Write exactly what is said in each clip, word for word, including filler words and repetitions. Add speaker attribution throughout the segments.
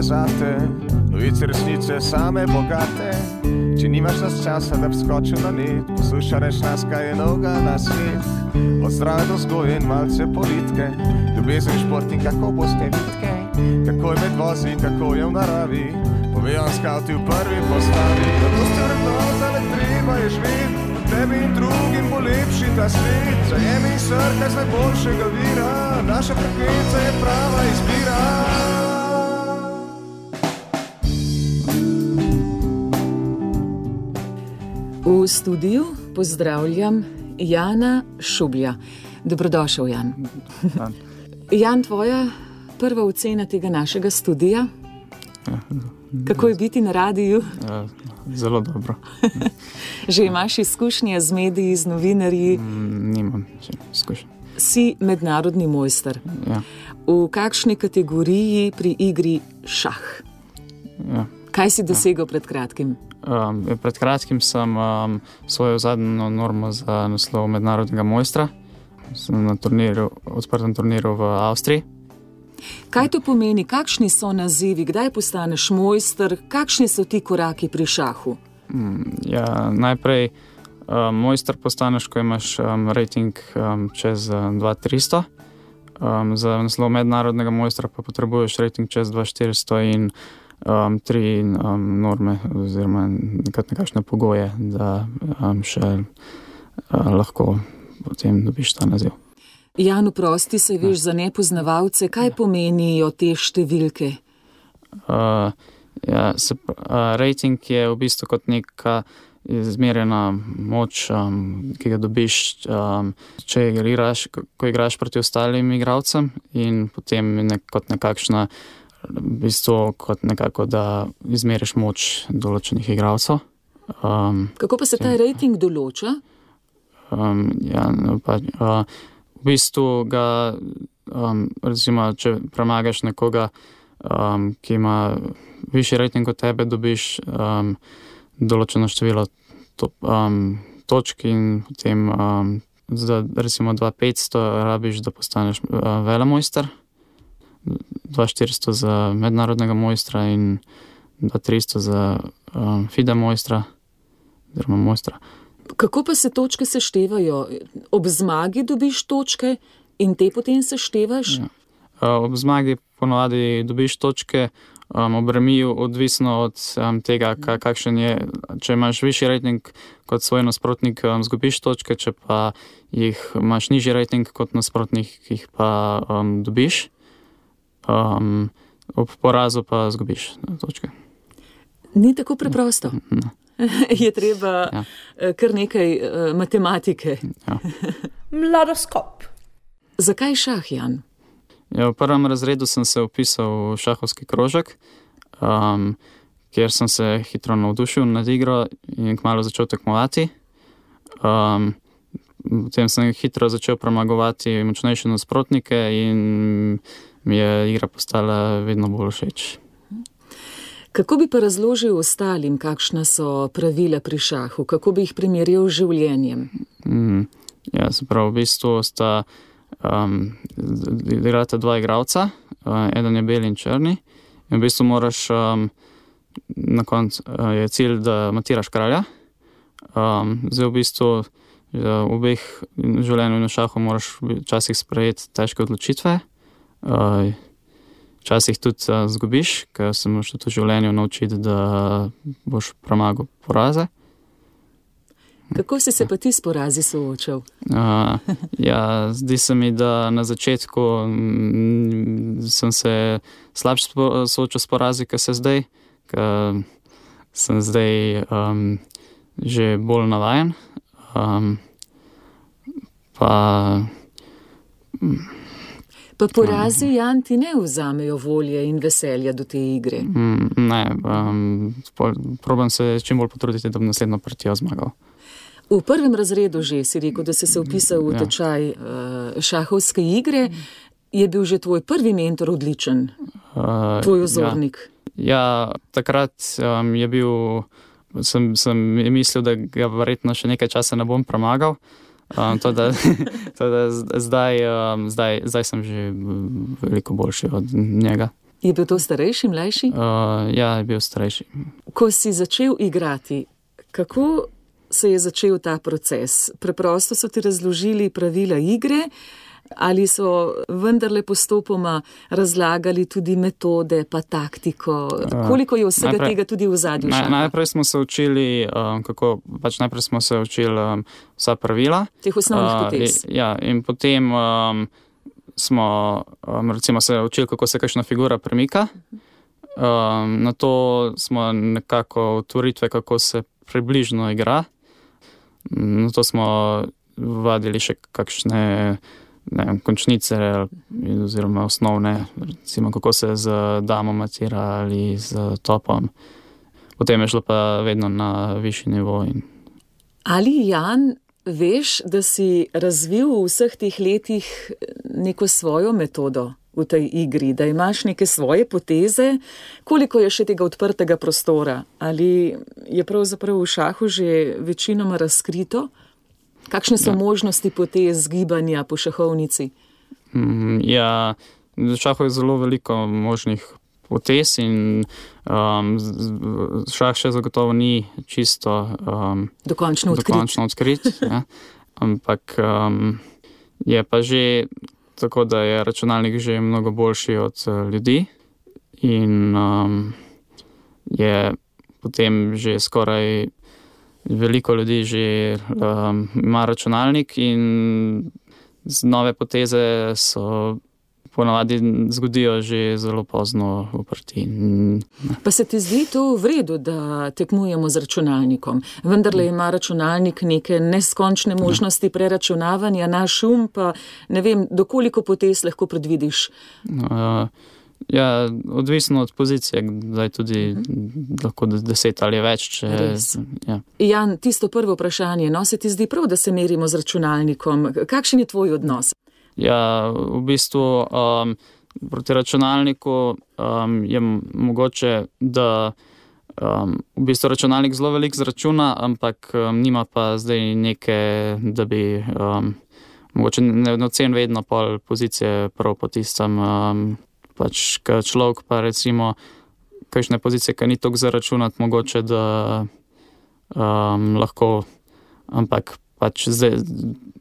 Speaker 1: je zate, novice resnice same bogate. Če nimaš nas časa, da bi skočil na net, poslušareš nas, kaj je novega na svet. Od zdrave do vzgoje in malce politike, ljubezen, šport in kako boste vitke, kako je med vozi, kako je v naravi, povejo skavti v prvi postavi. Zato ste vrednota, le treba je živeti, tebi in drugim bo lepši ta svet. Zajemi srka z najboljšega vira, naša frekvenca je prava izbira.
Speaker 2: V studiu pozdravljam Jana Šublja. Dobrodošel, Jan. Jan, tvoja prva ocena tega našega studija?
Speaker 3: Ja,
Speaker 2: Kako je biti na radiju?
Speaker 3: Ja, zelo dobro.
Speaker 2: Že imaš izkušnje z mediji, z novinarji?
Speaker 3: Mm, nimam še izkušnje.
Speaker 2: Si mednarodni mojster.
Speaker 3: Ja.
Speaker 2: V kakšni kategoriji pri igri šah?
Speaker 3: Ja.
Speaker 2: Kaj si dosegel pred kratkim?
Speaker 3: Um, pred kratkim sem um, svojo zadnjo normo za naslov mednarodnega mojstra. Sem na turnirju, odprtem turnirju v Avstriji.
Speaker 2: Kaj to pomeni? Kakšni so nazivi? Kdaj postaneš mojster? Kakšni so ti koraki pri šahu?
Speaker 3: Mm, ja, najprej um, mojster postaneš, ko imaš um, rating um, čez dva tisoč tristo. Um, za naslov mednarodnega mojstra pa potrebuješ rating čez dva tisoč štiristo in um, tri um, norme oziroma nekakšne pogoje, da um, še uh, lahko potem dobiš ta naziv.
Speaker 2: Jan, prosti se, veš, za nepoznavalce, kaj pomenijo te številke?
Speaker 3: Uh, ja, se, uh, rating je v bistvu kot neka izmerjena moč, um, ki ga dobiš, um, če igraš, ko igraš proti ostalim igralcem, in potem nek, kot nekakšna, v bistvu kot nekako, da izmeriš moč določenih igralcev. Um,
Speaker 2: Kako pa se ta rating določa?
Speaker 3: Um, ja, pa, uh, v bistvu ga, um, recimo, če premagaš nekoga, um, ki ima višji rating od tebe, dobiš um, določeno število to, um, točk in potem um, za recimo dva tisoč petsto rabiš, da postaneš uh, velemojster, dva tisoč štiristo za mednarodnega mojstra in dva tisoč tristo za um, FIDE mojstra oziroma mojstra.
Speaker 2: Kako pa se točke seštevajo? Ob zmagi dobiš točke in te potem seštevaš?
Speaker 3: Ja. Ob zmagi ponovadi dobiš točke, um, ob remiju odvisno od um, tega, kakšen je. Če imaš višji rating kot svoj nasprotnik, um, zgubiš točke, če pa jih imaš nižji rating kot nasprotnik, jih pa um, dobiš. Um, ob porazu pa zgubiš točke.
Speaker 2: Ni tako preprosto.
Speaker 3: Ne.
Speaker 2: Je treba ja. kar nekaj uh, matematike.
Speaker 3: Ja.
Speaker 4: Mladoskop.
Speaker 2: Zakaj šah, Jan?
Speaker 3: Ja, v prvem razredu sem se vpisal v šahovski krožek, um, kjer sem se hitro navdušil nad igro in kmalu začel tekmovati. Um, potem sem hitro začel premagovati močnejše nasprotnike in mi je igra postala vedno bolj všeč.
Speaker 2: Kako bi pa razložil ostalim, kakšna so pravila pri šahu? Kako bi jih primerjal z življenjem?
Speaker 3: Mm, ja, se pravi, v bistvu sta um, igrata dva igralca, uh, eden je beli in črni, in v bistvu moraš, um, na koncu uh, je cilj, da matiraš kralja. Um, zdaj v bistvu v obeh življenju in v šahu moraš včasih sprejeti težke odločitve, uh, včasih tudi uh, zgubiš, ker se moraš tudi v življenju naučiti, da boš premagal poraze.
Speaker 2: Kako si se pa ti s porazi soočal?
Speaker 3: Uh, ja, zdi se mi, da na začetku m, sem se slabše soočal s porazi, kot se zdaj, ker sem zdaj um, že bolj navajen. Um, pa... M,
Speaker 2: Pa porazi, Jan, ti ne vzamejo volje in veselja do te igre?
Speaker 3: Mm, ne, um, probam se čim bolj potruditi, da bi naslednjo partijo zmagal.
Speaker 2: V prvem razredu že si rekel, da si se vpisal v tečaj uh, šahovske igre. Je bil že tvoj prvi mentor odličen? Uh, tvoj vzornik?
Speaker 3: Ja, ja takrat um, je bil, sem, sem mislil, da ga verjetno še nekaj časa ne bom premagal. Um, to, da, to, da zdaj, um, zdaj, zdaj sem že veliko boljši od njega.
Speaker 2: Je bil to starejši, mlajši?
Speaker 3: Uh, ja, je bil starejši.
Speaker 2: Ko si začel igrati, kako se je začel ta proces? Preprosto so ti razložili pravila igre ali so vendarle postopoma razlagali tudi metode pa taktiko? Koliko je vsega najprej, tega tudi v zadju šaha?
Speaker 3: Naj, najprej smo se učili, um, kako, pač najprej smo se učili um, vsa pravila.
Speaker 2: Teh osnovnih potez.
Speaker 3: Uh, ja, in potem um, smo um, recimo se učili, kako se kakšna figura premika. Um, na to smo nekako otvoritve, kako se približno igra. Na to smo vadili še kakšne ne vem, končnice oziroma osnovne, recimo kako se z damo matira ali z topom. Potem je šlo pa vedno na višji nivo. In...
Speaker 2: Ali, Jan, veš, da si razvil v vseh teh letih neko svojo metodo v tej igri, da imaš neke svoje poteze? Koliko je še tega odprtega prostora? Ali je pravzaprav v šahu že večinoma razkrito? Kakšne so ja. možnosti potez gibanja po šahovnici?
Speaker 3: Mm, ja, v šahu je zelo veliko možnih potez in um, šah še zagotovo ni čisto um,
Speaker 2: dokončno odkrit.
Speaker 3: Dokončno odkrit ja. Ampak um, je pa že tako, da je računalnik že mnogo boljši od uh, ljudi in um, je potem že skoraj veliko ljudi že um, ima računalnik in z nove poteze so ponavadi zgodijo že zelo pozno v partiji.
Speaker 2: Pa se ti zdi to v redu, da tekmujemo z računalnikom? Vendarle ima računalnik neke neskončne možnosti preračunavanja, naš um pa ne vem, dokoliko potez lahko predvidiš?
Speaker 3: Uh, Ja, odvisno od pozicije, zdaj tudi uh-huh. lahko deset ali več. Če, ja.
Speaker 2: Jan, tisto prvo vprašanje, no se ti zdi prav, da se merimo z računalnikom? Kakšen je tvoj odnos?
Speaker 3: Ja, v bistvu um, proti računalniku um, je mogoče, da um, v bistvu računalnik zelo veliko zračuna, ampak um, nima pa zdaj neke, da bi um, mogoče ne ocen vedno pol pozicije prav po tistem. Um, Pač, ka človek pa recimo kakšne pozicije, ki ni toliko zaračunati, mogoče, da um, lahko, ampak pač zdaj,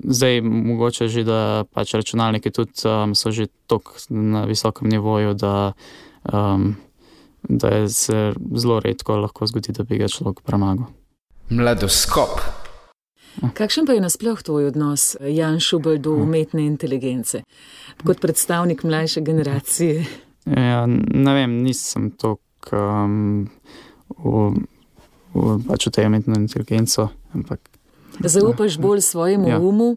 Speaker 3: zdaj mogoče že, da pač računalniki tudi um, so že toliko na visokem nivoju, da, um, da je se zelo redko lahko zgodi, da bi ga človek premagal.
Speaker 5: Mladoskop.
Speaker 2: Kakšen pa je nasploh tvoj odnos, Jan Šubelj, do umetne inteligence? Kot predstavnik mlajše generacije.
Speaker 3: Ja, ne vem, nisem toliko um, v, v, pač v tej umetno inteligenco. Ampak,
Speaker 2: Zaupaš bolj svojemu ja. umu,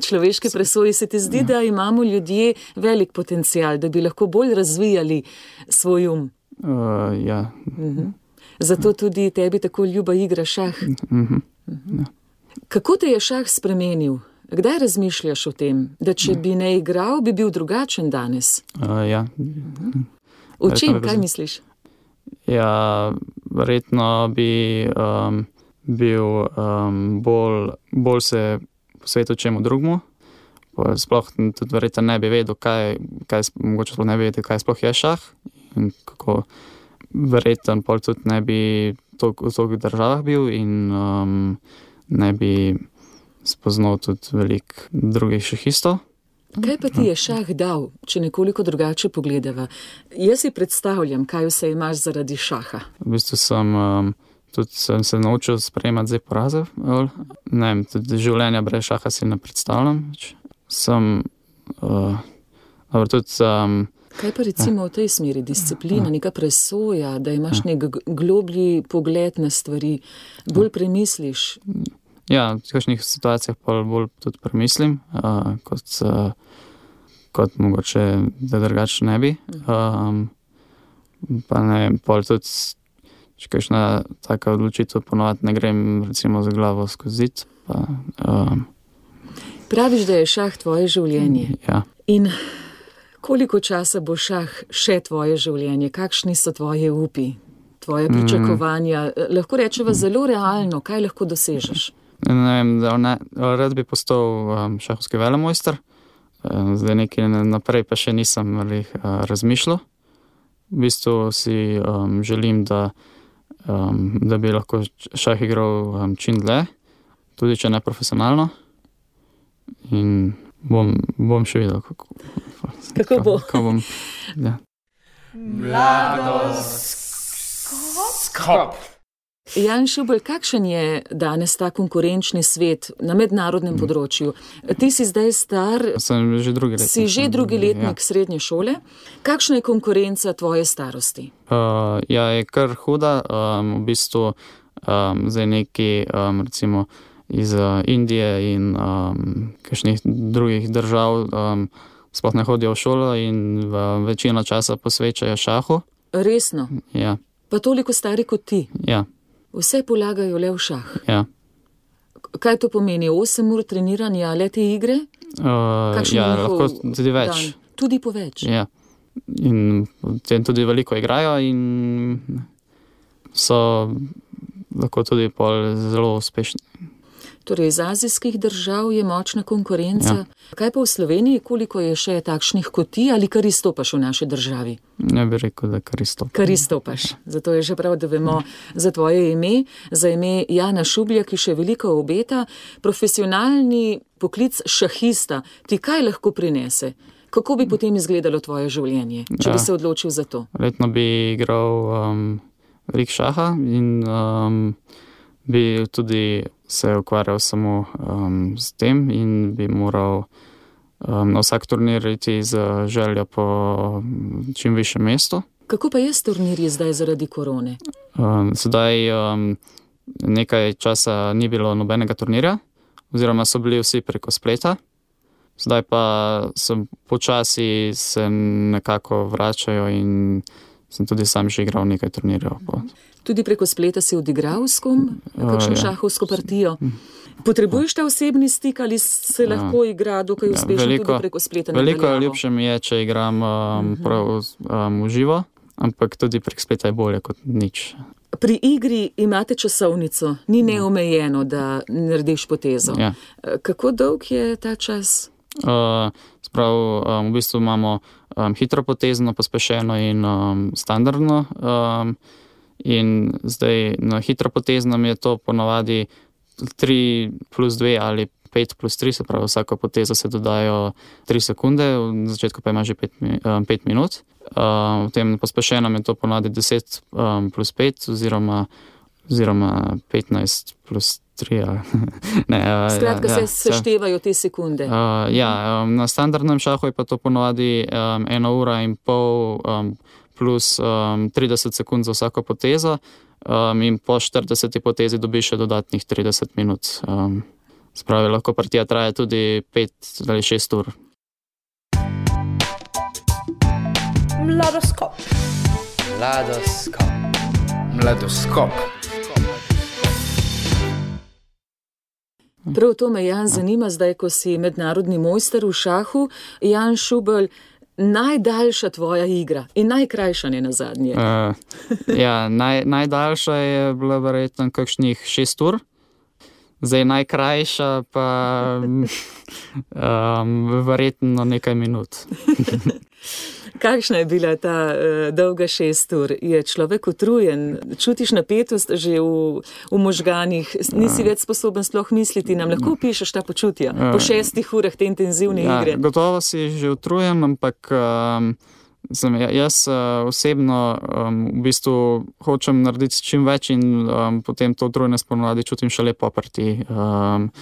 Speaker 2: človeške presoji. Se ti zdi, ja. da imamo ljudje velik potencial, da bi lahko bolj razvijali svoj um?
Speaker 3: Uh, ja.
Speaker 2: Uh-huh. Zato tudi tebi tako ljuba igra šah.
Speaker 3: Uh-huh. Uh-huh. Ja.
Speaker 2: Kako te je šah spremenil? Kdaj razmišljaš o tem, da če bi ne igral, bi bil drugačen danes?
Speaker 3: Uh, ja.
Speaker 2: V čem, kaj misliš?
Speaker 3: Ja, verjetno bi um, bil um, bolj, bolj se posvetil čemu drugmu. Sploh tudi verjetno ne bi vedel, kaj, kaj, mogoče sploh ne bi vedel, kaj sploh je šah. In kako verjetno pol tudi ne bi v toliko državah bil in um, ne bi spoznal tudi veliko drugih šahistov.
Speaker 2: Kaj pa ti je šah dal, če nekoliko drugače pogledava? Jaz si predstavljam, kaj vse imaš zaradi šaha.
Speaker 3: V bistvu sem, um, tudi sem se naučil sprejemati zdaj poraze. Ne vem, tudi življenja brez šaha si ne predstavljam. Sem, uh, dobro, tudi... Um,
Speaker 2: kaj pa recimo v tej smeri? Disciplina, neka presoja, da imaš nek globlji pogled na stvari, bolj premisliš?
Speaker 3: Ja, v kakšnih situacijah pa bolj tudi premislim, uh, kot, uh, kot mogoče, da drugače ne bi. Um, pa ne vem, pol tudi, če kakšna taka odločitev ponovati ne grem recimo za glavo skozi zid. Pa, um,
Speaker 2: Praviš, da je šah tvoje življenje.
Speaker 3: Ja.
Speaker 2: In koliko časa bo šah še tvoje življenje? Kakšni so tvoje upi, tvoje pričakovanja? Mm. Lahko rečeva zelo realno, kaj lahko dosežeš?
Speaker 3: Ne vem, da ne, rad bi postal um, šahovski velemojster. Zdaj nekaj naprej pa še nisem ali, uh, razmišljal. v bistvu si um, želim, da, um, da bi lahko šah igral um, čim dlje, tudi če ne profesionalno. In bom, bom še videl, kako,
Speaker 2: kako bo.
Speaker 3: Kako bom, ja.
Speaker 5: Mladoskop.
Speaker 2: Jan Šubelj, kakšen je danes ta konkurenčni svet na mednarodnem mm. področju? Ti si zdaj star,
Speaker 3: Sem že drugi letnik.
Speaker 2: si že drugi letnik
Speaker 3: ja.
Speaker 2: srednje šole. Kakšna je konkurenca tvoje starosti?
Speaker 3: Uh, ja, je kar huda. Um, v bistvu um, zdaj neki um, recimo iz uh, Indije in um, kakšnih drugih držav um, sploh ne hodijo v šolo in uh, večino časa posvečajo šahu.
Speaker 2: Resno?
Speaker 3: Ja,
Speaker 2: Pa toliko stari kot ti?
Speaker 3: ja,
Speaker 2: Vse polagajo le v šah.
Speaker 3: ja.
Speaker 2: Kaj to pomeni? osem ur treniranja le te igre?
Speaker 3: Uh,
Speaker 2: Kakšen je
Speaker 3: ja,
Speaker 2: njihov
Speaker 3: lahko tudi več.
Speaker 2: dan? Tudi po več.
Speaker 3: Ja. In potem tudi veliko igrajo in so lahko tudi pol zelo uspešni.
Speaker 2: Torej, iz azijskih držav je močna konkurenca.
Speaker 3: Ja.
Speaker 2: Kaj pa v Sloveniji, koliko je še takšnih kot ti ali kar izstopaš v naši državi?
Speaker 3: Ne bi rekel, da kar isto.
Speaker 2: Kar izstopaš. Zato je že prav, da vemo za tvoje ime, za ime Jana Šublja, ki še veliko obeta. Profesionalni poklic šahista ti kaj lahko prinese? Kako bi potem izgledalo tvoje življenje, če
Speaker 3: Ja.
Speaker 2: bi se odločil za to?
Speaker 3: Letno bi igral um, veliko šaha in um, bi tudi se ukvarjal samo um, s tem in bi moral um, na vsak turnir iti z željo po čim višjem mestu.
Speaker 2: Kako pa je s turnirji zdaj zaradi korone?
Speaker 3: Um, sedaj um, nekaj časa ni bilo nobenega turnirja, oziroma so bili vsi preko spleta. Zdaj pa sem počasi se nekako vračajo in sem tudi sam že igral nekaj turnirjev.
Speaker 2: Tudi preko spleta si odigral s kom, kakšno
Speaker 3: Uh, ja.
Speaker 2: šahovsko partijo? Potrebuješ ta osebni stik ali se
Speaker 3: Ja.
Speaker 2: lahko igra dokaj
Speaker 3: Ja,
Speaker 2: uspešno
Speaker 3: veliko-
Speaker 2: tudi preko spleta? na
Speaker 3: Veliko
Speaker 2: daljavo?
Speaker 3: ljubše mi je, če igram um, prav um, v živo, ampak tudi prek spleta je bolje kot nič.
Speaker 2: Pri igri imate časovnico, ni neomejeno, da narediš potezo.
Speaker 3: Ja.
Speaker 2: Kako dolg je ta čas?
Speaker 3: Uh, sprav, um, v bistvu imamo um, hitro potezno, pospešeno in um, standardno. Um, in zdaj na hitro poteznem je to ponavadi tri plus dve ali pet plus tri, se pravi vsako potezo se dodajo tri sekunde, v začetku pa ima že pet, um, pet minut. Um, v tem pospešenem je to ponavadi deset um, plus pet oziroma, oziroma petnajst plus tri. ne, uh,
Speaker 2: Skratka,
Speaker 3: ja, ja,
Speaker 2: se seštevajo te sekunde.
Speaker 3: Uh, ja, um, na standardnem šahu je pa to ponovadi um, ena ura in pol um, plus um, trideset sekund za vsako potezo um, in po štirideseti potezi dobiš še dodatnih trideset minut. Um, spravi, lahko partija traja tudi pet ali šest ur.
Speaker 4: Mladoskop.
Speaker 5: Mladoskop. Mladoskop.
Speaker 2: Prav to me, Jan, zanima zdaj, ko si mednarodni mojster v šahu. Jan Šubelj, najdaljša tvoja igra in najkrajša ne nazadnje.
Speaker 3: Uh, ja, naj, najdaljša je bila verjetno kakšnih šest ur. Zdaj najkrajša pa um, verjetno nekaj minut.
Speaker 2: Kakšna je bila ta uh, dolga šest ur? Je človek utrujen? Čutiš napetost že v, v možganih? Nisi več sposoben sploh misliti? Nam lahko opišeš ta počutja po šestih urah te intenzivne
Speaker 3: ja,
Speaker 2: igre?
Speaker 3: Gotovo si že utrujen, ampak um, sem, jaz uh, osebno um, v bistvu hočem narediti čim več in um, potem to utrujenost ponovadi čutim šele po partiji. Um,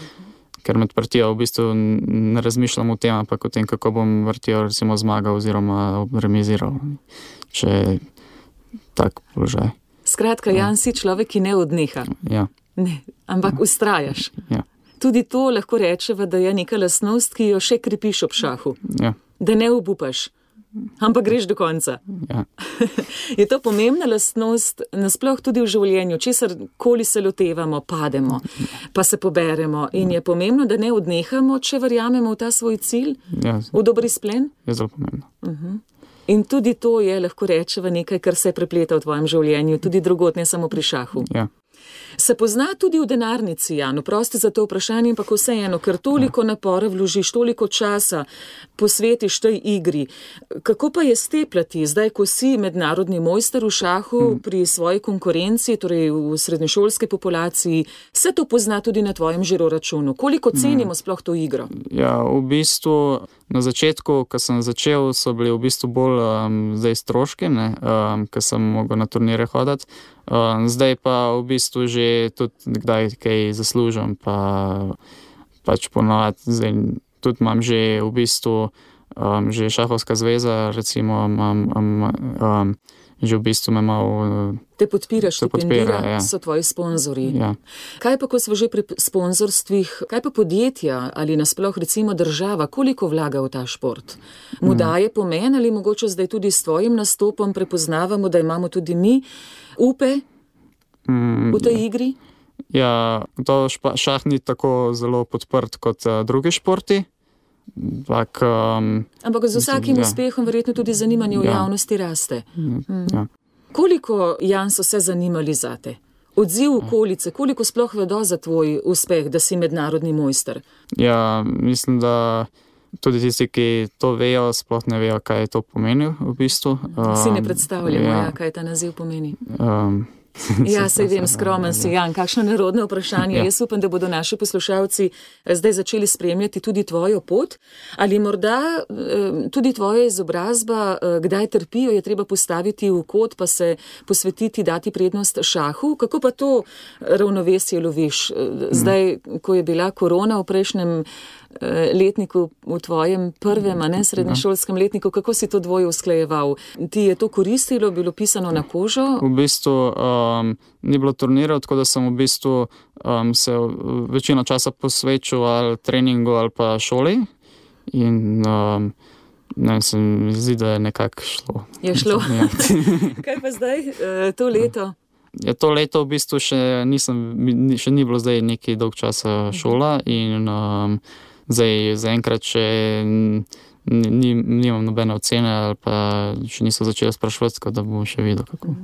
Speaker 3: ker med partijo v bistvu ne razmišljam o tem, ampak o tem, kako bom partijo recimo zmagal oziroma remiziral, če je tak položaj.
Speaker 2: Skratka, Jan, si človek, ki ne odneha.
Speaker 3: Ja,
Speaker 2: Ne, ampak ustrajaš.
Speaker 3: ja,
Speaker 2: Tudi to lahko rečeva, da je neka lastnost, ki jo še krepiš ob šahu.
Speaker 3: ja,
Speaker 2: Da ne obupaš, ampak greš do konca.
Speaker 3: ja.
Speaker 2: Je to pomembna lastnost nasploh tudi v življenju, česar koli se lotevamo, pademo, pa se poberemo in je pomembno, da ne odnehamo, če verjamemo v ta svoj cilj,
Speaker 3: ja
Speaker 2: v dober izplen.
Speaker 3: je zelo pomembno.
Speaker 2: In tudi to je, lahko rečeva, nekaj, kar se prepleta v tvojem življenju, tudi drugod, ne samo pri šahu.
Speaker 3: Ja.
Speaker 2: Se pozna tudi v denarnici, Jan, oprosti za to vprašanje, ampak vseeno, ker toliko napora vložiš, toliko časa posvetiš tej igri. Kako pa je steplati, zdaj, ko si mednarodni mojster v šahu hmm. pri svoji konkurenci, torej v srednješolski populaciji, se to pozna tudi na tvojem žiroračunu? Koliko cenimo hmm. sploh to igro?
Speaker 3: Ja, v bistvu na začetku, ko sem začel, so bili v bistvu bolj um, zdaj stroški, ne, um, ko sem mogel na turnire hoditi. Um, zdaj pa v bistvu že tudi kdaj kaj zaslužim, pa pač ponovadi, zdaj tudi imam že v bistvu um, že šahovska zveza, recimo imam um, um, že v bistvu me malo
Speaker 2: te podpira, štipendira,
Speaker 3: ja.
Speaker 2: So tvoji sponzorji.
Speaker 3: Ja.
Speaker 2: Kaj pa, ko smo že pri sponzorstvih, kaj pa podjetja ali nasploh recimo država, koliko vlaga v ta šport? Mu daje pomen ali mogoče zdaj tudi s tvojim nastopom prepoznavamo, da imamo tudi mi upe v tej igri?
Speaker 3: Ja, to šah ni tako zelo podprt kot uh, drugi športi. Tak, um,
Speaker 2: Ampak z vsakim
Speaker 3: ja.
Speaker 2: uspehom verjetno tudi zanimanje v
Speaker 3: ja.
Speaker 2: javnosti raste.
Speaker 3: Mm. Ja.
Speaker 2: Koliko, Jan, so se zanimali zate? Odziv okolice, koliko sploh vedo za tvoj uspeh, da si mednarodni mojster?
Speaker 3: Ja, mislim, da tudi tisti, ki to vejo, sploh ne vejo, kaj to pomeni v bistvu. Um,
Speaker 2: si ne predstavljamo,
Speaker 3: ja.
Speaker 2: Ja, kaj ta naziv pomeni.
Speaker 3: Um,
Speaker 2: Ja, sej vem, skromen si, Jan, kakšno nerodno vprašanje. Ja. Jaz upam, da bodo naši poslušalci zdaj začeli spremljati tudi tvojo pot. Ali morda tudi tvoja izobrazba, kdaj trpijo, je treba postaviti v kot, pa se posvetiti, dati prednost šahu? Kako pa to ravnovesje loviš? Zdaj, ko je bila korona v prejšnjem letniku, v tvojem prvem, a ne srednješolskem letniku, kako si to dvoje usklajeval? Ti je to koristilo, bilo pisano na kožo?
Speaker 3: V bistvu um, ni bilo turnirov, tako da sem v bistvu um, se večino časa posvečal ali treningu ali pa šoli in um, ne, se mi zdi, da je nekako šlo.
Speaker 2: Je šlo? Ja. Kaj pa zdaj, to leto?
Speaker 3: Ja, to leto v bistvu še nisem, še ni bilo zdaj neki dolg časa šola in um, zdaj zaenkrat še ni, nimam nobene ocene ali pa še niso začeli sprašovati, tako da bom še videl, kako.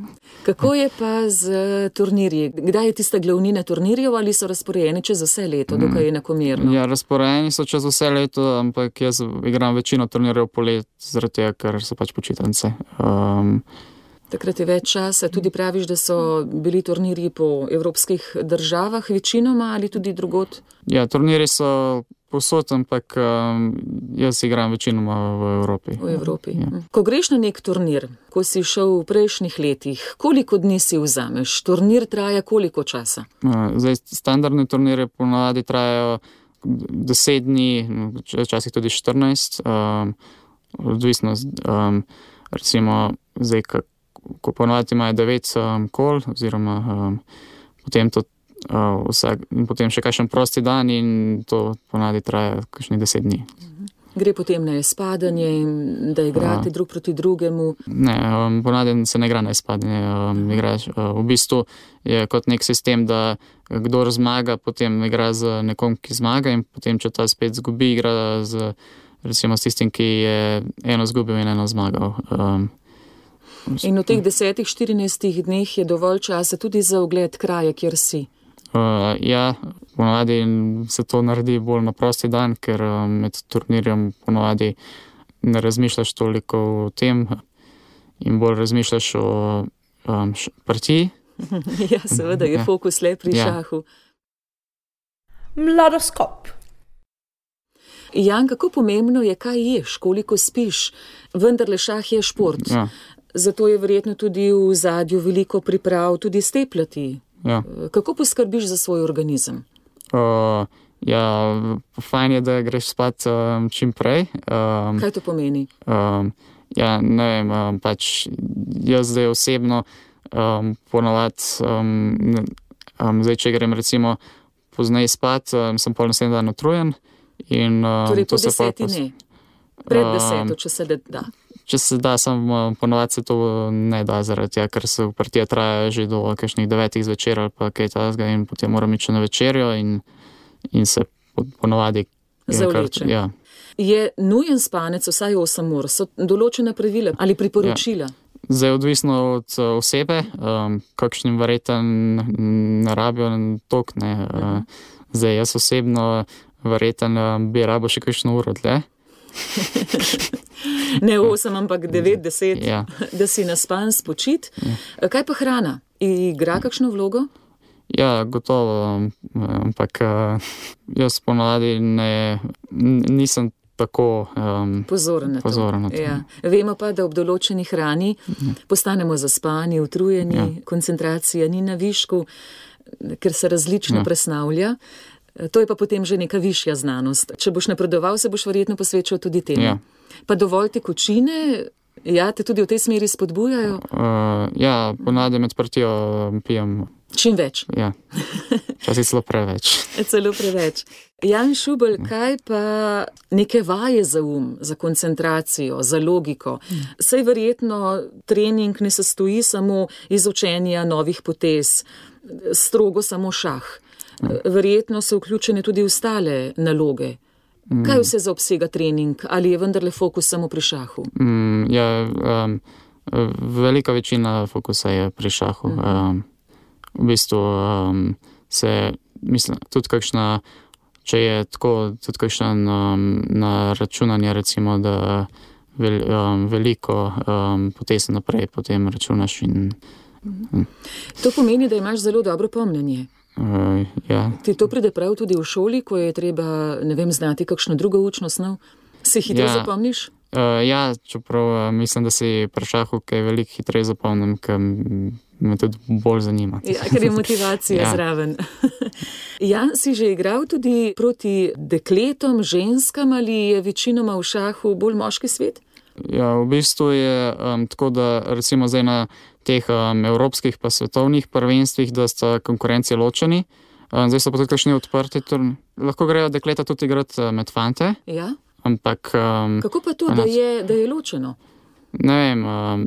Speaker 2: Kako je pa z turnirji? Kdaj je tista glavnina turnirjev ali so razporejeni čez vse leto, dokaj je enakomerno?
Speaker 3: Ja, razporejeni so čez vse leto, ampak jaz igram večino turnirjev polet, zaradi tega, ker so pač počitnice. Um,
Speaker 2: Takrat je več časa. Tudi praviš, da so bili turnirji po evropskih državah večinoma ali tudi drugod?
Speaker 3: Ja, turnirji so posod, ampak um, jaz igram večinoma v Evropi.
Speaker 2: V Evropi.
Speaker 3: Ja.
Speaker 2: Ko greš na nek turnir, ko si šel v prejšnjih letih, koliko dni si vzameš? Turnir traja koliko časa?
Speaker 3: Zdaj, standardne turnire ponavadi trajajo deset dni, včasih tudi štirinajst, um, odvisno, um, recimo, zdaj, ko ponavadi imajo devet um, kol, oziroma um, potem to uh, vsak, potem še kakšen prosti dan in to ponavadi traja kakšnih deset dni.
Speaker 2: Gre potem na izpadanje, da igrate uh, drug proti drugemu?
Speaker 3: Ne, um, ponavadi se ne igra na izpadanje. Um, igraš, uh, v bistvu je kot nek sistem, da kdor zmaga, potem igra z nekom, ki zmaga in potem, če ta spet zgubi, igra z, recimo, s tistim, ki je eno zgubil in eno zmagal. Um,
Speaker 2: In v teh desetih, štirinajstih dneh je dovolj časa tudi za ogled kraja, kjer si?
Speaker 3: Uh, ja, ponavadi se to naredi bolj na prosti dan, ker um, med turnirjem ponavadi ne razmišljaš toliko o tem in bolj razmišljaš o um, partiji.
Speaker 2: Ja, seveda je fokus le pri ja. šahu.
Speaker 4: Mladoskop.
Speaker 2: Jan, kako pomembno je, kaj ješ, koliko spiš? Vendarle šah je šport.
Speaker 3: Ja.
Speaker 2: Zato je verjetno tudi v zadju veliko priprav, tudi stepljati.
Speaker 3: Ja.
Speaker 2: Kako poskrbiš za svoj organizem?
Speaker 3: Uh, ja, fajn je, da greš spat um, čim prej. Um,
Speaker 2: Kaj to pomeni?
Speaker 3: Um, ja, ne vem, um, pač jaz zdaj osebno um, ponavad, um, um, zdaj, če grem recimo pozneje spat, um, sem pol naslednji dan utrujen. In, um,
Speaker 2: torej po deseti
Speaker 3: pos...
Speaker 2: ne? Pred deseto, um, če se da?
Speaker 3: Če se da, sam ponovadi se to ne da, zaradi tega, ker se partija traja že do kakšnih devetih zvečer ali pa kaj tazga in potem moram iti na večerjo in, in se ponovadi
Speaker 2: zavleče.
Speaker 3: Ja.
Speaker 2: Je nujen spanec vsaj osem ur? So določena pravila ali priporočila?
Speaker 3: Ja. Zdaj odvisno od uh, osebe, um, kakšnim verjeten ne rabijo tok, ne. Uh, zdaj jaz osebno verjeten uh, bi rabo še kakšno uro dlje.
Speaker 2: Ne osem, ampak devet, deset,
Speaker 3: ja.
Speaker 2: Da si naspan spočit. Ja. Kaj pa hrana? Igra kakšno vlogo?
Speaker 3: Ja, gotovo, ampak uh, jaz ponavadi ne, nisem tako um,
Speaker 2: pozoren na to.
Speaker 3: Pozoren na to.
Speaker 2: Ja. Vemo pa, da ob določeni hrani ja. Postanemo zaspani, utrujeni, ja. Koncentracija ni na višku, ker se različno ja. Presnavlja. To je pa potem že neka višja znanost. Če boš napredoval, se boš verjetno posvečal tudi temu. Ja. Pa dovolj tekočine, ja, te tudi v tej smeri spodbujajo?
Speaker 3: Uh, ja, ponavadi med partijo pijem.
Speaker 2: Čim več?
Speaker 3: Ja, včasih celo preveč.
Speaker 2: Celo preveč. Jan Šubelj, kaj pa neke vaje za um, za koncentracijo, za logiko? Saj verjetno trening ne sestoji samo iz učenja novih potez, strogo samo šah. Verjetno so vključene tudi ostale naloge. Kaj vse zaobsega trening? Ali je vendarle fokus samo pri šahu?
Speaker 3: Mm, ja, um, velika večina fokusa je pri šahu. Um, v bistvu um, se, mislim, tudi kakšna, če je tako, tudi kakšen um, na računanje, recimo, da vel, um, veliko um, potez naprej potem računaš in...
Speaker 2: Um. To pomeni, da imaš zelo dobro pomnjenje.
Speaker 3: Uh, ja.
Speaker 2: Ti to pride prav tudi v šoli, ko je treba, ne vem, znati kakšno drugo učno snov? Se hitro ja. Zapomniš?
Speaker 3: Uh, ja, čeprav uh, mislim, da si pri šahu kaj veliko hitreje zapomnim, ker me tudi bolj zanima.
Speaker 2: Ja, ker je motivacija ja. Zraven. Jan, si že igral tudi proti dekletom, ženskam ali je večinoma v šahu bolj moški svet?
Speaker 3: Ja, v bistvu je um, tako, da recimo zdaj na teh um, evropskih pa svetovnih prvenstvih, da sta konkurenci ločeni. Um, zdaj so pa tudi kakšni odprti. Turn. Lahko grejo dekleta tudi igrati uh, med fante.
Speaker 2: Ja.
Speaker 3: Ampak... Um,
Speaker 2: Kako pa to, da je, da je ločeno?
Speaker 3: Ne vem, um,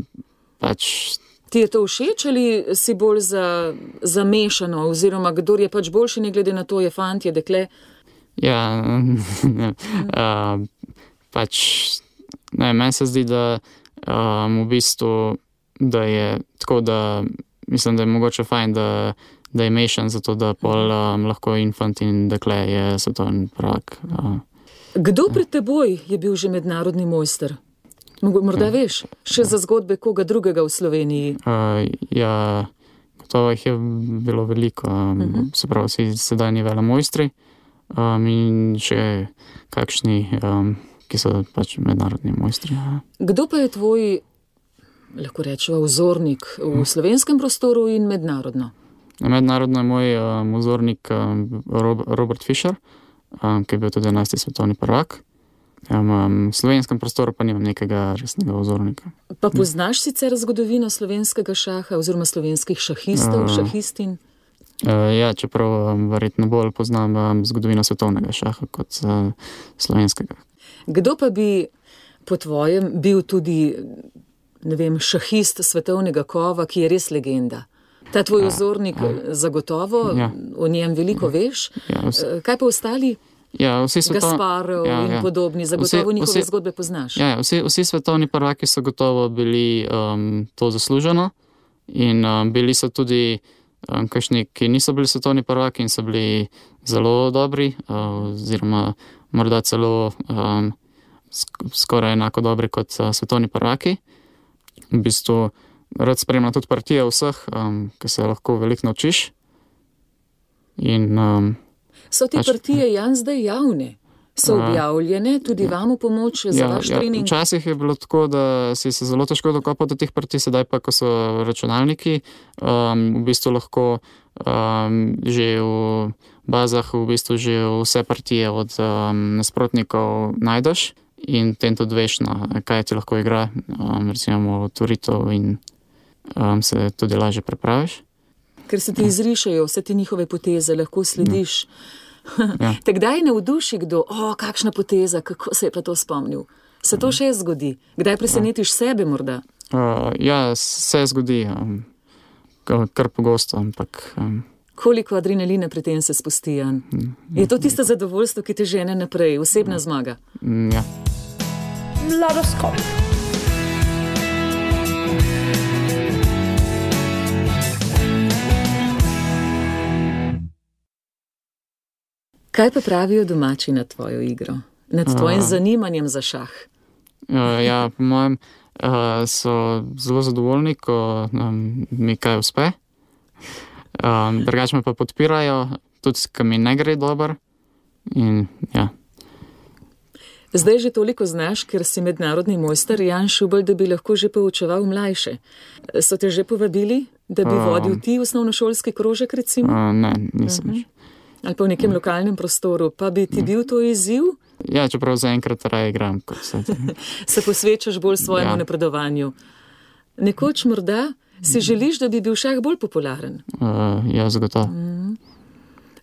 Speaker 3: pač...
Speaker 2: Ti je to všeč ali si bolj za, za mešano, oziroma kdor je pač boljši, ne glede na to, je fant, je dekle?
Speaker 3: Ja, ne, uh, pač... Ne, meni se zdi, da um, v bistvu, da je tako, da mislim, da je mogoče fajn, da, da je mešan, zato da pol um, lahko infant in dekle je svetovni prvak. Uh.
Speaker 2: Kdo pred teboj je bil že mednarodni mojster? Morda ja. Veš, še za zgodbe koga drugega v Sloveniji?
Speaker 3: Uh, ja, gotovo jih je bilo veliko, um, uh-huh. se pravi, vsi sedajni velemojstri um, in še kakšni... Um, ki so pač mednarodni mojstri.
Speaker 2: Kdo pa je tvoj, lahko rečeva, vzornik v slovenskem prostoru in mednarodno?
Speaker 3: Mednarodno je moj um, vzornik um, Robert Fischer, um, ki je bil tudi enajsti svetovni prvak. Um, um, v slovenskem prostoru pa nimam nekega resnega vzornika.
Speaker 2: Pa poznaš sicer zgodovino slovenskega šaha oziroma slovenskih šahistov, uh, šahistin?
Speaker 3: Uh, ja, čeprav um, verjetno bolj poznam um, zgodovino svetovnega šaha kot uh, slovenskega.
Speaker 2: Kdo pa bi po tvojem bil tudi, ne vem, šahist svetovnega kova, ki je res legenda? Ta tvoj vzornik ja, ja. Zagotovo, ja. O njem veliko ja. Veš. Ja, kaj pa ostali?
Speaker 3: Ja, vsi svetovni...
Speaker 2: Gasparov ja,
Speaker 3: ja.
Speaker 2: In podobni, zagotovo vsi, njihove
Speaker 3: vsi,
Speaker 2: zgodbe poznaš.
Speaker 3: Ja, vsi, vsi svetovni prvaki so gotovo bili um, to zasluženo in um, bili so tudi um, kakšni, ki niso bili svetovni prvaki in so bili zelo dobri, uh, oziroma morda celo um, sk- skoraj enako dobri kot uh, svetovni prvaki. V bistvu rad spremljam tudi partije vseh, um, ki se lahko veliko naučiš. In, um,
Speaker 2: so te
Speaker 3: pač,
Speaker 2: partije, Jan, zdaj javne? So objavljene, tudi ja, vam v pomoč za ja, vaš
Speaker 3: ja,
Speaker 2: trening?
Speaker 3: Včasih je bilo tako, da si se zelo težko dokopal do teh partij, sedaj pa, ko so računalniki, um, v bistvu lahko um, že v bazah v bistvu že vse partije od um, nasprotnikov najdeš in tem tudi veš, no, kaj ti lahko igra, um, recimo turitev in um, se tudi lažje prepraviš.
Speaker 2: Ker se ti izrišajo vse te njihove poteze, lahko slediš. Ja. Ja. Te kdaj navduši kdo, o, kakšna poteza, kako se je pa to spomnil? Se to še zgodi? Kdaj presenetiš ja. Sebe morda?
Speaker 3: Uh, ja, se zgodi, um, kar pogosto, ampak... Um,
Speaker 2: Koliko adrenalina pri tem se spusti, Jan? Je to tisto zadovoljstvo, ki te žene naprej, osebna zmaga?
Speaker 3: Ja.
Speaker 4: Mladoskop.
Speaker 2: Kaj pa pravijo domači na tvojo igro? Nad tvojim
Speaker 3: Uh.
Speaker 2: zanimanjem za šah?
Speaker 3: Uh, ja, po mojem uh, so zelo zadovoljni, ko um, mi kaj uspe. Um, drugače me pa podpirajo, tudi ko mi ne gre dobro. In ja.
Speaker 2: Zdaj že toliko znaš, ker si mednarodni mojster Jan Šubelj, da bi lahko že poučeval mlajše. So te že povabili, da bi
Speaker 3: Um.
Speaker 2: vodil ti osnovnošolski krožek, recimo?
Speaker 3: Uh, ne, nisem.
Speaker 2: Mhm. Ali pa v nekem lokalnem prostoru, pa bi ti bil to izziv?
Speaker 3: Ja, čeprav zaenkrat raje igram, kot se.
Speaker 2: Se posvečaš bolj svojemu
Speaker 3: Ja.
Speaker 2: napredovanju. Nekoč morda si želiš, da bi bil šah bolj popularen.
Speaker 3: Uh, ja, zagotovo.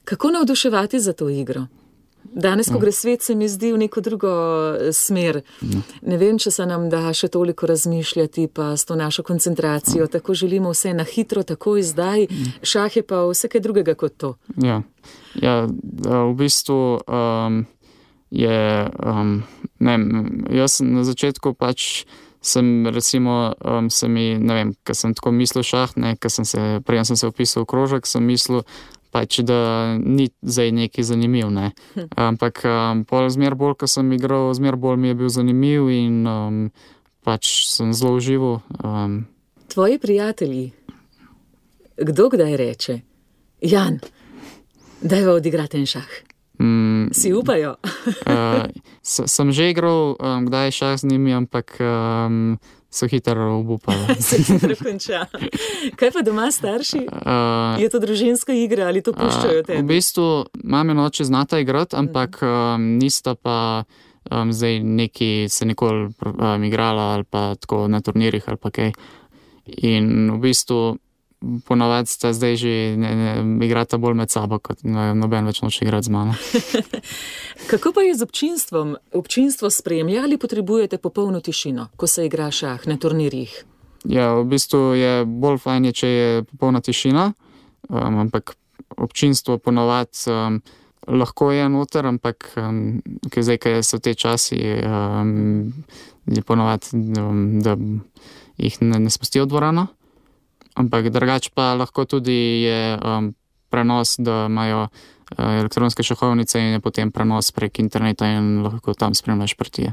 Speaker 2: Kako navduševati za to igro? Danes, ko gre svet, se mi zdi v neko drugo smer. Ne vem, če se nam da še toliko razmišljati, pa s to našo koncentracijo. Tako želimo vse na hitro, takoj zdaj. Šah je pa vse kaj drugega kot to.
Speaker 3: Ja, ja v bistvu um, je, um, ne vem, jaz sem na začetku pač sem recimo, um, se mi, ne vem, ker sem tako mislil šah, ne, ker sem se, prej sem se vpisal v krožek, sem mislil, pač, da ni zdaj neki zanimiv, ne. Ampak um, pol zmer bolj, ko sem igral, zmer bolj mi je bil zanimiv in um, pač sem zelo užival. Um.
Speaker 2: Tvoji prijatelji, kdo kdaj reče, Jan, dajva odigrati en šah.
Speaker 3: Mm,
Speaker 2: Si upajo?
Speaker 3: uh, s- sem že igral, um, kdaj šah z njimi, ampak um, so hitro obupali.
Speaker 2: Se hitro konča. Kaj pa doma starši?
Speaker 3: Uh,
Speaker 2: Je to družinska igra ali to puščajo
Speaker 3: v
Speaker 2: tebi?
Speaker 3: bistvu mame in oče znata igrati, ampak um, nista pa um, zdaj neki se nikoli um, igrala ali pa tako na turnirjih ali pa kaj. In v bistvu ponavadi sta zdaj že ne, ne, igrata bolj med sabo, kot no, noben več noče igrati z mano.
Speaker 2: Kako pa je z občinstvom? Občinstvo spremlja ali potrebujete popolno tišino, ko se igra šah na turnirjih?
Speaker 3: Ja, v bistvu je bolj fajn, je, če je popolna tišina, um, ampak občinstvo ponavadi um, lahko je noter, ampak um, ker zdaj, ker so te časi, um, je ponavadi, um, da jih ne, ne spustijo v dvorano. Ampak drugače pa lahko tudi je um, prenos, da imajo uh, elektronske šahovnice in je potem prenos prek interneta in lahko tam spremljaš partije.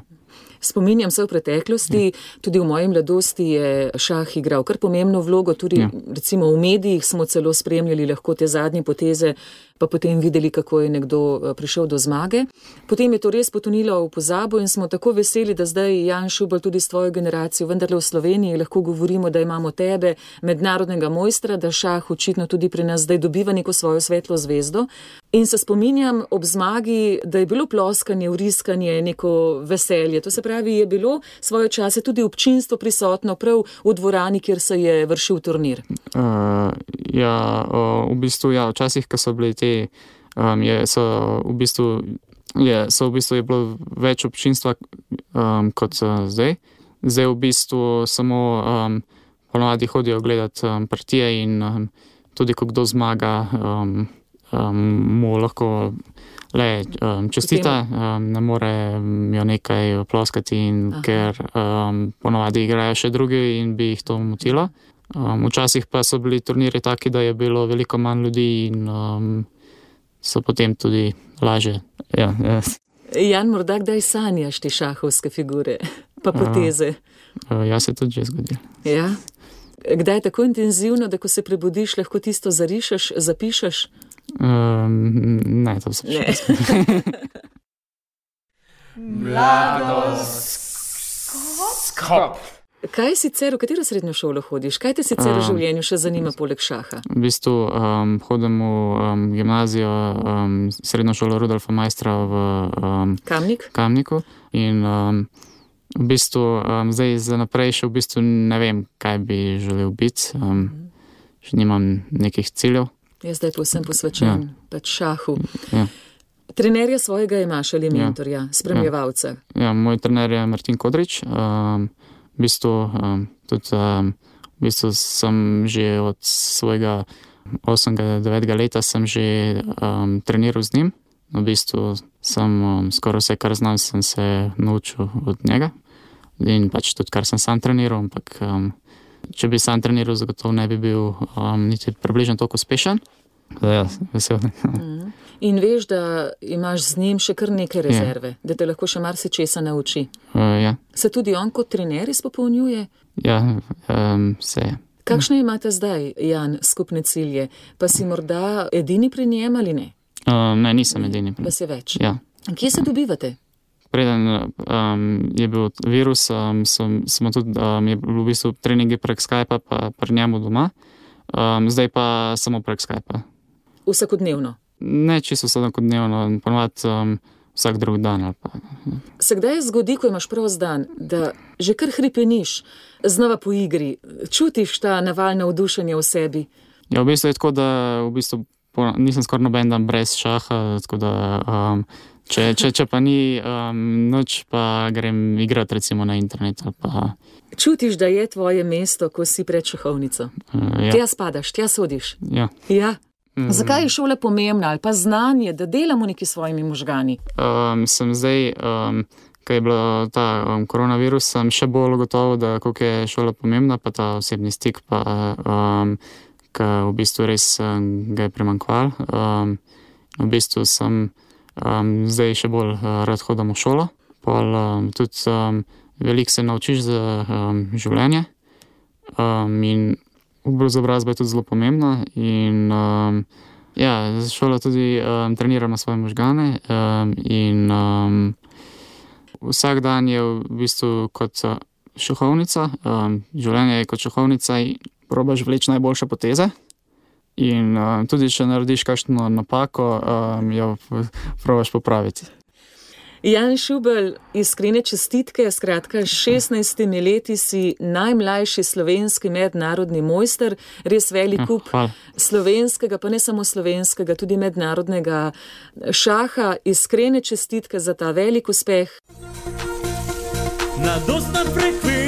Speaker 2: Spominjam se v preteklosti, tudi v moji mladosti je šah igral kar pomembno vlogo, tudi
Speaker 3: Ja.
Speaker 2: recimo v medijih smo celo spremljali lahko te zadnje poteze, pa potem videli, kako je nekdo eh, prišel do zmage. Potem je to res potonilo v pozabo in smo tako veseli, da zdaj Jan Šubelj tudi s tvojo generacijo, vendarle v Sloveniji lahko govorimo, da imamo tebe, mednarodnega mojstra, da šah očitno tudi pri nas zdaj dobiva neko svojo svetlo zvezdo. In se spominjam ob zmagi, da je bilo ploskanje, vriskanje, neko veselje. To se pravi, je bilo svoje čase tudi občinstvo prisotno prav v dvorani, kjer se je vršil turnir.
Speaker 3: Uh, ja, uh, v bistvu, ja, včasih, ko so bili te, um, je, so v bistvu, je, so v bistvu je bilo več občinstva um, kot uh, zdaj. Zdaj v bistvu samo um, ponovadi hodijo gledati um, partije in um, tudi, ko kdo zmaga, um, um, mu lahko le um, čestita, um, ne more jo nekaj ploskati, in, ker um, ponovadi igrajo še drugi in bi jih to motilo. Um, včasih pa so bili turniri taki, da je bilo veliko manj ljudi in um, so potem tudi lažje. Ja, ja.
Speaker 2: Jan, morda kdaj sanjaš te šahovske figure, pa poteze?
Speaker 3: Uh, ja, se tudi že zgodi.
Speaker 2: Ja. Kdaj je tako intenzivno, da ko se prebudiš, lahko tisto zarišeš, zapišeš?
Speaker 3: Um, ne, to se
Speaker 2: Ne.
Speaker 5: Mladoskop.
Speaker 2: Kaj sicer, v katero srednjo šolo hodiš? Kaj te sicer v
Speaker 3: Um,
Speaker 2: življenju še zanima poleg šaha?
Speaker 3: V bistvu um, hodim v um, gimnazijo, um, srednjo šolo Rudolfa Maistra v um,
Speaker 2: Kamnik?
Speaker 3: Kamniku in um, v bistvu um, zdaj za naprej še v bistvu ne vem, kaj bi želel biti. Um, še nimam nekih ciljev.
Speaker 2: Jaz zdaj povsem posvečen pač šahu.
Speaker 3: Ja.
Speaker 2: Trenerja svojega imaš ali mentorja, spremljevalca?
Speaker 3: Ja, moj trener je Martin Kodrič. Um, v bistvu, um, tudi, um, v bistvu sem že od svojega osmega devetega leta sem že um, treniral z njim. V bistvu sem um, skoraj vse, kar znam, sem se naučil od njega. In pač tudi, kar sem sam treniral, ampak um, če bi sam treniral, zagotovo ne bi bil um, niti približno toliko uspešen. Da, ja, vesel.
Speaker 2: Mm. In veš, da imaš z njim še kar neke rezerve, ja. Da te lahko še marsičesa nauči.
Speaker 3: Uh, ja.
Speaker 2: Se tudi on kot trener izpopolnjuje?
Speaker 3: Ja, um, se je.
Speaker 2: Kakšne imate zdaj, Jan, skupne cilje? Pa si morda edini pri njem ali ne?
Speaker 3: Um, ne, nisem edini.
Speaker 2: Pa si več?
Speaker 3: Ja.
Speaker 2: Kje se dobivate?
Speaker 3: Preden um, je bil virus, um, sem, smo tudi, um, je bil v bistvu treningi prek Skypa, pa pri njemu doma. Um, zdaj pa samo prek Skypa.
Speaker 2: Vsakodnevno?
Speaker 3: Ne, čisto vsakodnevno, ponovadi um, vsak drug dan. Ali pa.
Speaker 2: Se kdaj zgodi, ko imaš prost dan, da že kar hripeniš, znova po igri, čutiš ta naval navdušenja v sebi?
Speaker 3: Ja, v bistvu je tako, da v bistvu po, nisem skoraj noben dan brez šaha, tako da um, če, če, če pa ni um, noč, pa grem igrati recimo na internet. Pa...
Speaker 2: Čutiš, da je tvoje mesto, ko si pred šahovnico?
Speaker 3: Uh, ja.
Speaker 2: Tja spadaš, tja sodiš?
Speaker 3: Ja.
Speaker 2: Ja. Zakaj je šola pomembna ali pa znanje, da delamo neki svojimi možgani?
Speaker 3: Um, sem zdaj, um, ko je bilo ta um, koronavirus, sem še bolj gotovo, da koliko je šola pomembna, pa ta osebni stik, pa um, ko v bistvu res um, ga je primanjkval. Um, v bistvu sem um, zdaj še bolj uh, rad hodam v šolo. Pol, um, tudi um, veliko se naučiš za um, življenje um, in izobrazba je tudi zelo pomembna in um, ja, šola tudi um, treniramo svoje možgane um, in um, vsak dan je v bistvu kot šahovnica, um, življenje je kot šahovnica in probaš vleči najboljše poteze in um, tudi če narediš kakšno napako, um, jo probaš popraviti.
Speaker 2: Jan Šubelj, iskrene čestitke, skratka, s šestnajstimi leti si najmlajši slovenski mednarodni mojster, res velik kup
Speaker 3: ja,
Speaker 2: slovenskega, pa ne samo slovenskega, tudi mednarodnega šaha. Iskrene čestitke za ta velik uspeh.
Speaker 6: Na dostan frekvenci